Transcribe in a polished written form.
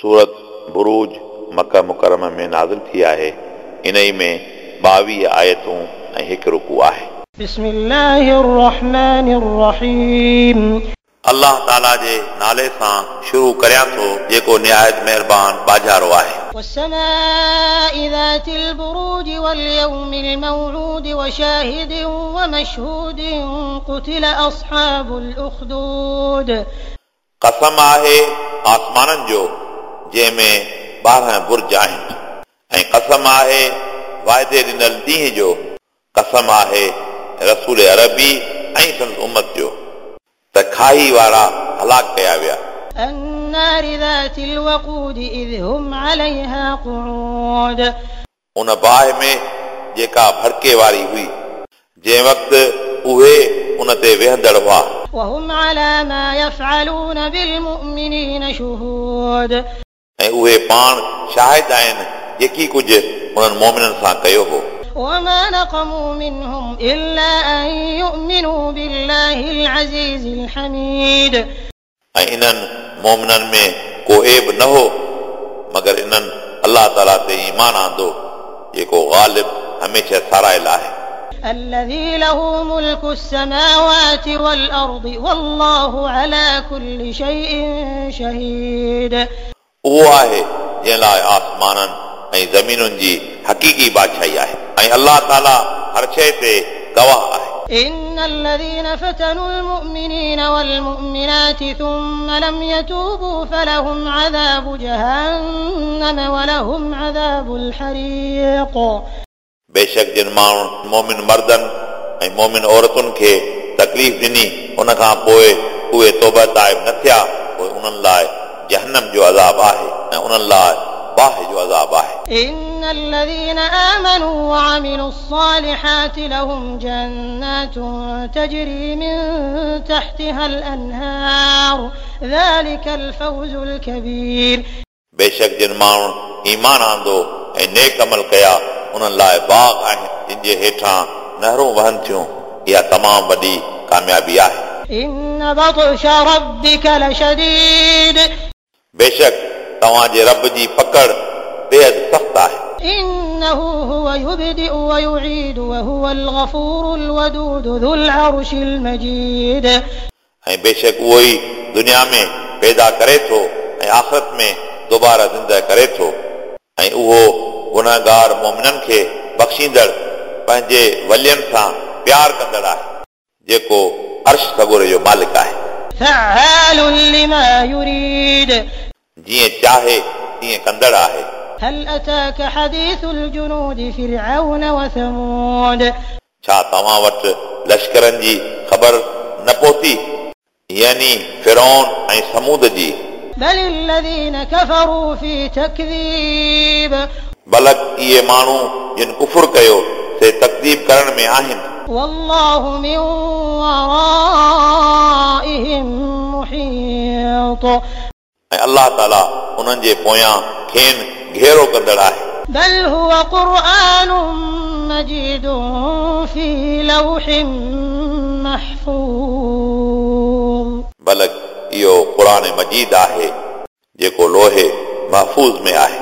सूरत बुरूज मक्का मुकरमा में नाज़िल थी आहे। इन्हई में 22 आयतूं ऐं हिकु रुकू आहे। बिस्मिल्लाहिर्रहमानिर्रहीम। अल्लाह ताला जे नाले सां शुरू करियां थो जेको निहायत महिरबान बाजारो आहे। والسماء ذات البروج واليوم الموعود وشاهد ومشهود قتل أصحاب الأخدود। कसम आहे आसमाननि जो जंहिंमें 12 बुर्ज आहिनि ऐं कसम आहे वाइदे ॾिनल ॾींहं जो। कसम आहे रसूल अरबी ऐं संदसि उम्मत जो त खाई वारा हलाक कया विया। النار ذات الوقود إذ هم عليها قعود। उन बाहि में जेका भड़के वारी हुई जंहिं वक़्तु उहे उन ते वेहंदड़ हुआ। وهم على ما يفعلون بالمؤمنين شهود। ऐं उहे पाण शाहिद आहिनि जेकी कुझु उन्हनि मोमिननि सां कयो हो। وما نقموا منهم إلا أن يؤمنوا بالله العزيز الحميد। ऐं इन्हनि मोमिननि में को ऐब न हो मगर इन्हनि अल्लाह ताला ते ईमान आंदो जेको ग़ालिब हमेशह सारायल आहे। الذي له ملك السماوات والأرض والله على كل شيء شهيد। उहो आहे जंहिं लाइ आसमाननि ऐं ज़मीनुनि जी हक़ीक़ी बादशाही आहे ऐं अल्लाह ताला हर शइ ते गवाह आहे। إن الذين فتنوا المؤمنين والمؤمنات ثم لم يتوبوا فلهم عذاب جهنم ولهم عذاب الحريق। बेशक जिन माण्हुनि मोमिन मर्दनि ऐं मोमिन औरतुनि खे तकलीफ़ ॾिनी उन खां पोइ उहे तौबा ताइब न थिया पोइ उन्हनि लाइ जहन्नम जो अज़ाब आहे ऐं उन्हनि लाइ बाहि जो अज़ाब आहे। إن الذين آمنوا وعملوا الصالحات لهم جنات تجري من تحتها الأنهار ذلك الفوز الكبير। बेशक जिन माण्हुनि ईमान आंदो ऐं नेक अमल कया उन्हनि लाइ बाग़ आहिनि जिन जे हेठां नहरूं वहनि थियूं। इहा तमामु वॾी कामयाबी आहे। إن بطش ربك لشديد। बेशक तव्हांजे रब जी पकड़ बेहद सख़्तु आहे। إنه هو يبدئ ويعيد وهو الغفور الودود ذو العرش المجيد। ऐं बेशक उहो ई दुनिया में पैदा करे थो ऐं आख़िरत में दोबारा ज़िंदा करे थो ऐं उहो गुनहगार मोमिननि खे बख़्शींदड़ पंहिंजे वलियनि सां प्यार कंदड़ आहे जेको अर्श सगोरे जो मालिक आहे। فعال لما يريد। जीअं चाहे तीअं कंदड़ आहे। هل أتاك حديث الجنود فرعون وثمود। छा तव्हां वटि लश्करनि जी ख़बर न पहुती यानी फिरौन ऐं समूद जी। بل الذين كفروا في تكذيب। बलक इहे माण्हू जिन कुफुर कयो से तकदीब करण में आहिनि। والله من ورائهم محيط। ऐं अल्लाह ताला उन्हनि जे पोयां खेनि घेरो कंदड़ आहे। بل هو قرآن مجيد في لوح محفوظ। बलक इहो क़ुर मजीद आहे जेको लोहे महफ़ूज़ में आहे।